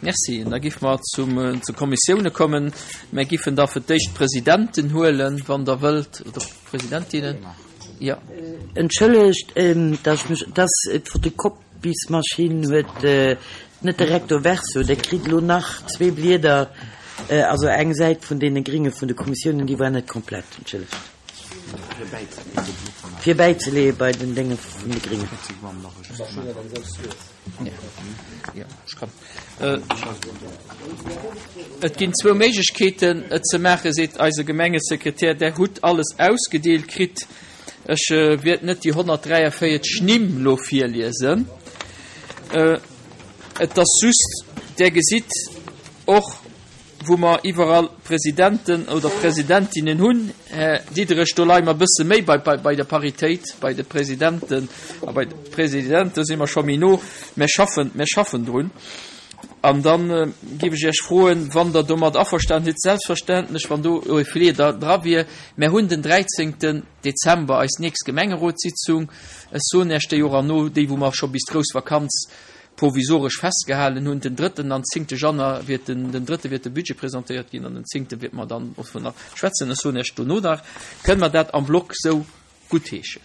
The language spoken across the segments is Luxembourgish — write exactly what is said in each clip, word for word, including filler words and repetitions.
Merci. Da giffe mer zum, zu Kommissioune kommen. Mir giffen da fir d'éischt d'Presidenten huelen, wann Der wëllt, oder Presidentinnen. Ja. Entschëllegt, dass ech mech, dass d'Fotokopiesmaschinn huet net de Recto verso, Der kritt elo nach zwee Blieder, also eng Säit vun deene Gringe vun de Kommissiounen, déi war net komplett. Entschëllegt. Fir bäizeleeë bei den Dénge vun de Gringen. Et ginn zwou Méiglechkeeten, et ze maachen, seet eise Gemengesekretär. Der hutt alles ausgedeelt kritt. Ech wäert net déi honnertdräiavéierzeg Nimm elo virliesen. Et ass just, Der gesitt och, wou mer iwwerall Presidenten oder Presidentinnen hunn, Här Diderich, do leie mer e bësse méi bei, bei der Paritéit, bei de Presidenten a bei de Presidente si mer scho méi no. Mer schaffen, mer schaffen drun. An da géif ech Iech froen, wann Der domat averstanen sidd, selbstverständlech, wann do e Feeler dra wier, mer hunn den dräizéngten Dezember eis nächst Gemengerotssitzung. Ech soen Iech déi och an no, déi wou mer scho bis d'grouss Vakanz provisoresch festgehalen hunn. Den drëtten an zéngte Januar wiert den, den drëtte wiert de Budget presentéiert ginn an den zéngte wiert mer dann och nach schwätzen. Ech soen Iech dono nach, kënne mer dat am Block sou guttheeschen,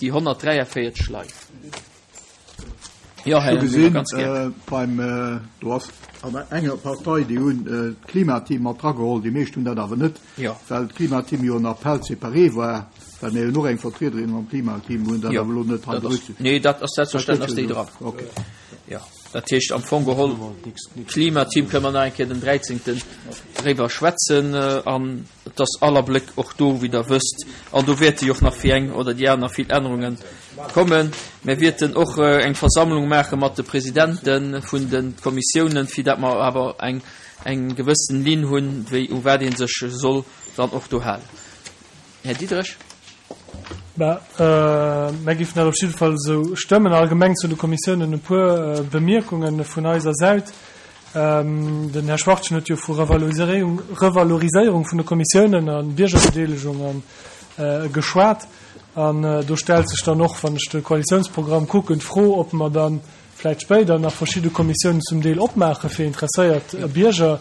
déi honnertdräiavéierzeg Leit? Jo, Här Winger, ganz gär. Beim, do ass an enger Partei, déi hunn d'Klimateam mat drageholl, déi meescht hunn dat awer net, well d'Klimateam jo en Appel séparé war, well mir jo och eng Vertriederin am Klimateam hunn, dat awer elo net hei berücksichtegt. Nee, dat ass selbstverständlech ass déi dran. Okay. Jo, dat heescht am Fong geholl, Klimateam kënne mer nach eng Kéier den dräizéngten driwwer schwätzen an et ass all Abléck och do, wéi Der wësst, an do wäerte jo och nach fir eng oder déi aner vill Ännerunge kommen. Mir wäerten och eng Versammlung maache mat de Presidente vun de Kommissiounen, fir dat mer awer eng eng gewëssen Linn hunn, wéi u wat ee sech soll dann och do halen. Här Diderich. Bah, mär géifen dat op jidde Fall esou stëmmen. Allgemeng zu de Kommissiounen e puer Bemierkunge vun eiser Säit. Den Här Schwachtgen huet jo vu Revaloriséierung vun de Kommissiounen a Biergerbedeelegung geschwat. An do stellt sech dann och, wann ech de Koalitiounsprogramm kucken, d'Fro, ob mer da vläicht spéider nach verschidde Kommissiounen zum Deel opmaache fir interesséiert Bierger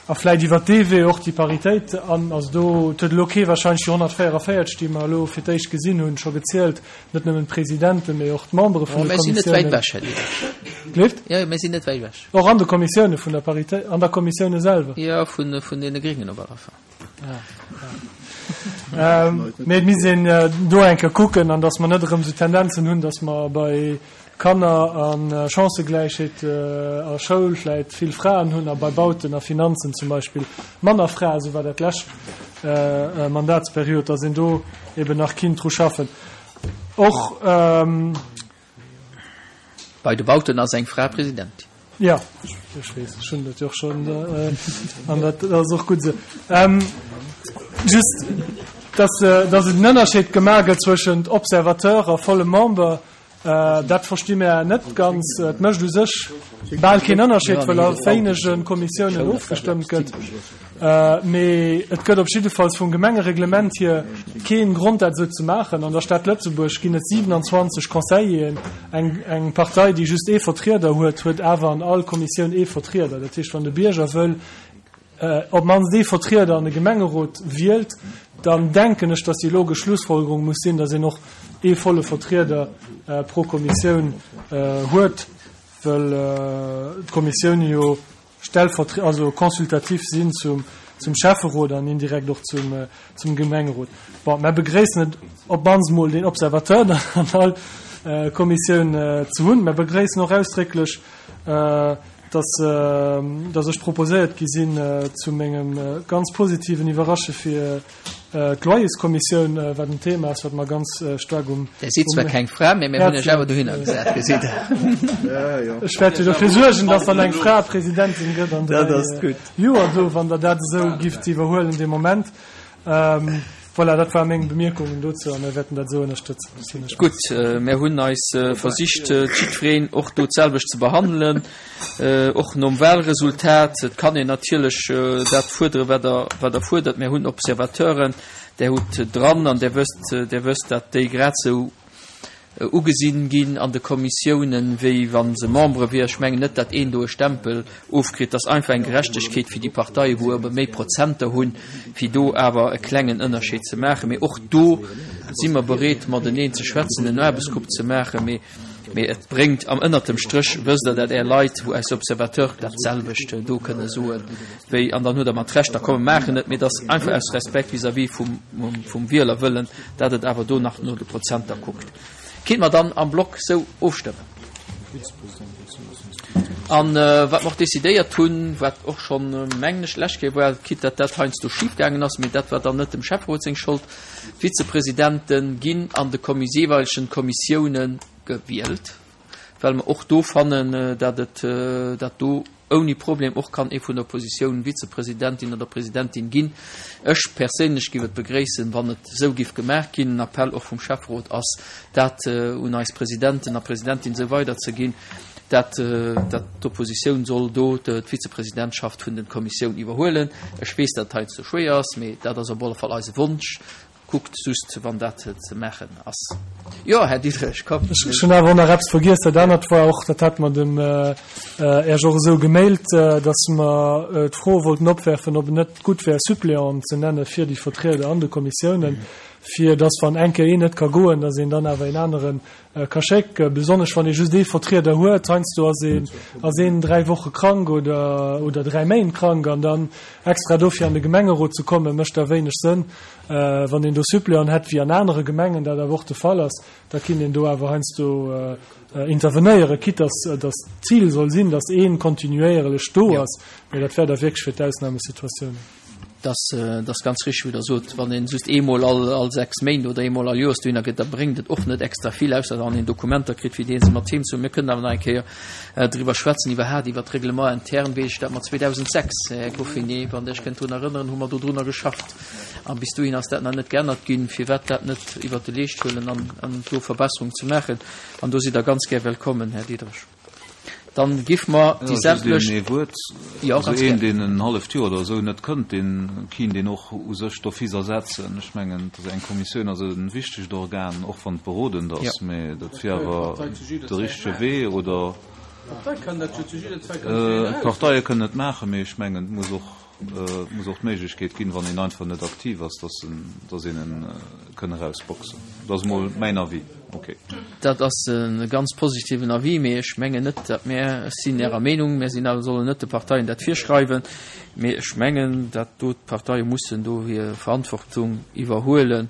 a vläicht iwwert dee Wee och déi Paritéit an, also do huet elo kee wahrscheinlech déi honnertvéierunvéierzeg, déi mer elo fir d'éischt gesinn hunn, scho gezielt, net nëmmen d'Presidenten, mee och d'Membere vun de Mir sinn net wäit Kommissiounen. ewech, Här Diderich. Gleeft? Jo, mir sinn net wäit ewech. Och an de Kommissioune vun der Paritéit, an der Kommissioune selwer? Jo, vun, vun deene Gréngen op alle Fall. Mee et misst een do eng Kéier kucken, an datt mer net erëm esou Tendenzen hunn, datt mer bei Kanner a Chancëgläichheet a Schoul vläit vill Fraen hunn a bei Bauten a Finanzen zum Beispill manner Fraen, esou war dat d'lescht Mandatsperiod, datt een do eben nach kinnt dru schaffen. Och. Bei de Bauten ass eng Fra Presidentin. Jo, ech weess, ech hunn dat jo och schonn, an dat ass och gutt esou. Just, dass, dass et en Ënnerscheed gemaach gëtt zwëschent Observateur a vollem Member, dat versti mär net ganz. Et mécht u sech bal keen Ënnerscheed, well a wéinege Kommissiounen ofgestëmmt gëtt. Mee et gëtt op jiddefalls vum Gemengereglement hier kee Grond, dat esou ze maachen. An der Stad Lëtzebuerg ginn et siwenanzwanzeg Conseilleren. Eng, eng Partei, déi just ee Vertrieder huet, huet awer an all Kommissioun ee Vertrieder. Dat heescht, wann de Bierger wëll op d'mannst ee Vertrieder an de Gemengerot wielt, dann denken ech, dass déi logesch Schlussfolgerung muss sinn, dass een och ee volle Vertrieder pro Kommissioun huet, well d'Kommissioune jo stellvertre-, also consultatif sinn zum, zum Schäfferot an indirekt och zum, zum Gemengerot. Bon, mer begréissen et op d'mannst mol deen Observateur dann an all Kommissioun ze hunn. Mer begréissen och ausdrécklech, dass, dass ech proposéiert gi sinn, zu mengem ganz positiven Iwwerrasche fir d'Loyerskommissioun, wat en Thema ass, wat mer ganz staark um Der sidd zwar keng Fra, mee mir hunn Iech awer dohinner gesat, gesitt Der. Ech wäert jo dofir suergen, dass dann eng Fra Presidentin gëtt an dräi Joer do, wann Der dat esou gifft iwwerhuelen dee Moment. Voilà, dat ware meng Bemierkungen dozou a mir wäerten dat esou ënnerstëtzen. Gutt, mir hunn eis versicht, jiddwereen och do d'selwecht ze behandelen, och nom Wahlresultat. Et kann een natierlech dat fuerderen, wat Der, wat Der fuerdert. Mir hunn Observateuren, Där hutt dran an Där wësst, Där wësst, datt déi grad esou ugesinn ginn an de Kommissiounen, wéi wa se Membere wier. Ech mengen net, datt een do e Stempel ofkritt. Dat ass einfach eng Gerechtegkeet fir déi Parteien, wou ebe méi Prozenter hunn, fir do awer e klengen Ënnerscheed ze maachen. Mee och do si mer bereet, mateneen ze schwätzen, en Aarbechtsgrupp ze maachen. Mee, mee et bréngt am ënnert dem Stréch, wësst Der, dat Är Leit, wou aus Observateur dat selwecht do kënne soen, wéi, an dann hutt Der mat Recht, da komm mer maachen et, mee et ass einfach aus Respekt vis-à-vis vum, vum Wielerwëllen, dat et awer do nach no de Prozenter kuckt. Kinnt mer dann am Block sou ofstëmmen? An wat mer och decidéiert hunn, wat och schonn, mengen ech, d'lescht Kéier war, quitte datt dat heiansdo schif gaangen ass, mee dat war dann net dem Schäfferot seng Schold, d'Vizepresidente ginn an de jeeweilegen Kommissioune gewielt, well mer och do fannen, datt et, datt do ouni Problem och kann ee vun der Oppositioun Vizepresidentin oder Presidentin ginn. Ech perséinlech giff et begréissen, wann et esou giff gemaach ginn. En Appell och vum Schäfferot ass dat un eis Presidenten a Presidentin esou weiderzeginn, dat dat d'Oppositioun soll do d'Vizepresidentschaft vun den Kommissioun iwwerhuelen. Ech weess, dat et heiansdo schwéier ass, mee dat ass op alle Fall eise Wonsch. Kuckt just, wann dat ze maachen ass. Jo, Här Diderich, kommt. Ech hunn awer och nach eppes vergiess. Dat anert war och, dat hate mer dem Äerch och esou gemailt, dass mer d'Fro wollten opwerfen, ob et net gutt wär, Suppléanten ze nenne fir déi Vertrieder an de Kommissiounen, fir dass, wann eng Kéier een net ka goen, dass een dann awer een anere ka schécken, besonnesch wann ee just ee Vertrieder huet. Heiansdo ass een, ass een dräi Woche krank oder, oder dräi Méint krank an dann extra dofir an de Gemengerot ze kommen, mécht da wéineg Sënn. Wann een do Suppléanten hätt, wéi an anere Gemengen dat awer och de Fall ass, da kinnt een do awer heiansdo intervenéieren, quitte dass, dass d'Zil soll sinn, dass ee kontinuéierlech do ass, mä dat wär da wierklech fir d'Ausnamesituatiounen. Dat ass ganz richteg, wéi Der sot. Wann een just eemol all, all sechs Méint oder eemol all Joers dohinner geet, da bréngt et och net extra vill, ausser wann een Dokumenter kritt, fir déi ee se mat heem ze huelen. Mir kënnen awer nach eng Kéier driwwer schwätzen, iwwerhaapt iwwert d'Règlement interne, wéi ech dat mat zweedausendsechs Här Goffinet, wann Der Iech kënnt drun erënneren, hu mer dodrunner geschafft. A bis dohin ass dat nach net geännert ginn. Firwat dat net iwwert de Leescht huelen an, an do Verbesserungen ze maachen? An do sidd Der ganz gär wellkommen, Här Diderich. Dann giff mer déi sämtlech. Just een Wuert. Jo, Also ganz een, gär. deen en halleft Joer oder esou net kënnt, deen kinnt een och u sech d'office ersetzen. Ech mengen, dass eng Kommissioun ass e wichtegt Organ, och wann et berodend Jo. ass, mä dat wier awer de richtege Wee. Oder d'Parteie kënnen et maachen, mä ech mengen, et muss och, et muss och d'Méiglechkeet ginn, wann een einfach net aktiv ass, dass en, dass een en kënn erausboxen. Dat ass emol mäin Avis. Ok. Dat ass e ganz positiven Avis, mee ech mengen net, datt mär, ech sinn Ärer Meenung, mär sinn awer, sollen net de Parteien dat virschreiwen, mee ech mengen, datt do d'Parteie mussen do hir Verantwortung iwwerhuelen.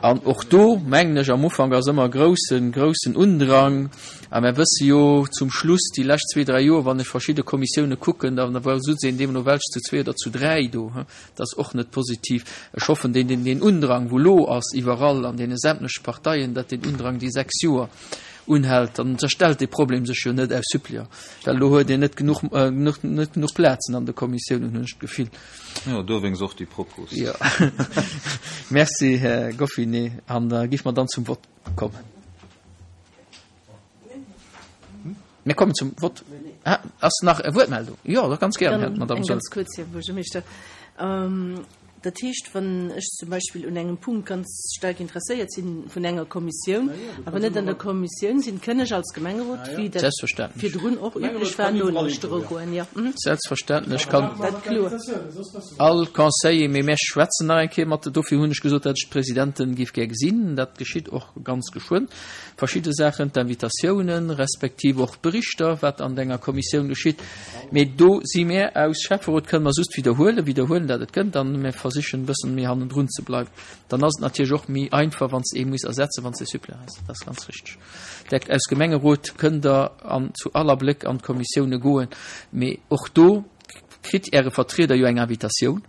An och do, mengen ech, am Ufank ass ëmmer groussen, groussen Undrang. A mär wësse jo zum Schluss, déi lescht zwee, dräi Joer, wann ech verschidde Kommissioune kucken, da war sutz een deemno welch zu zwee oder zu dräi do. Dat ass och net positiv. Ech hoffen, deen, deen, deen Undrang, wou elo ass iwwerall an deene sämtleche Parteien, datt deen Undrang déi sechs Joer unhält. Dann stellt dee Problem sech jo net aus Suppléant, well elo huet een net genuch, net genuch Plazen an de Kommissiounen, hunn ech d'Gefill. Jo, dowéinst och déi Propos. Jo. Merci, Här Goffinet. An da géife mer dann zum Vott kommen. Mir kommen zum Vott. Ah, ass nach e Wuertmeldung? Jo, da ganz gären, Här, Madame Eng Soll. ganz kuerz, Här Buergermeeschter. Dat heescht, wann ech zum Beispill un engem Punkt ganz staark interesséiert sinn vun enger Kommissioun, awer net an der Kommissioun sinn, kënn ech als Gemengerot, wéi dat virdrun och üblech war, nolauschtere goen. Jo. Selbstverständlech kann Dat kloer. all Conseiller, mee mär schwätzen nach eng Kéier mat, dofir hunn ech gesot, datt ech d'Presidenten géif gär gesinn. Dat geschitt och ganz geschwënn. Verschidde Saachen, d'Invitatiounen, respektiv och d'Berichter, wat an enger Kommissioun geschitt. Mee do si mär aus Schäfferot, kënne mer just widderhuelen, widderhuelen, dat et gënnt, an mär versichen e bëssen méi hannendrun ze bleiwen. Dann ass et natierlech och méi einfach, wann s de ee muss ersetzen, wann s de Suppléant hues. Dat ass ganz richteg. Där aus Gemengerot kënnt Der an zu aller Bléck an d'Kommissioune goen. Mee och do kritt Äre Vertrieder jo eng Invitatioun.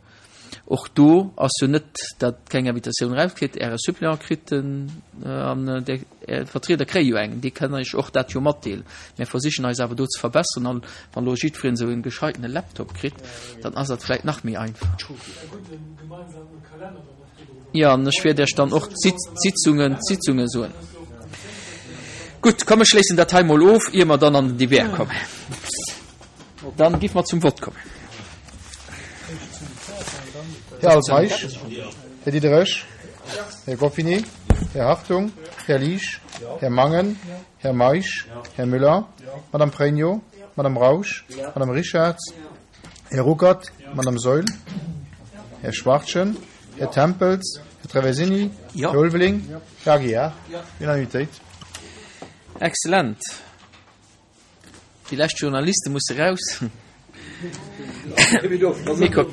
Och do ass jo net, datt keng Invitatioun erauskritt. Äre Suppléant kritt en an där Är Vertrieder kréie jo eng. Déi kënnen Iech och dat jo matdeelen. Mir versichen eis awer do ze verbesseren. An wann elo jiddwereen esou e gescheitene Laptop kritt, dann ass dat vläicht nach méi einfach. Jo, an ech wäert Iech dann och d'Sitzungen, d'Sitzunge soen. Gutt, komm ech schléissen dat hei mol of, ier mer dann an den Divers kommen. Dann géife mer zum Vott kommen. Här Altmeisch, Här Diderich, Här Goffinet, Här Hartung, Här Liesch, Här Mangen. Här Meisch. Här Müller. Madame Pregno. Madame Rausch. Madame Richarz. Här Ruckert. Madame Saeul. Här Schwachtgen. Här Tempels. Här Traversini. Här Ulveling. Här Aguiar. Unanimitéit. Excellent. Déi lescht Journaliste musse raus. Mikro.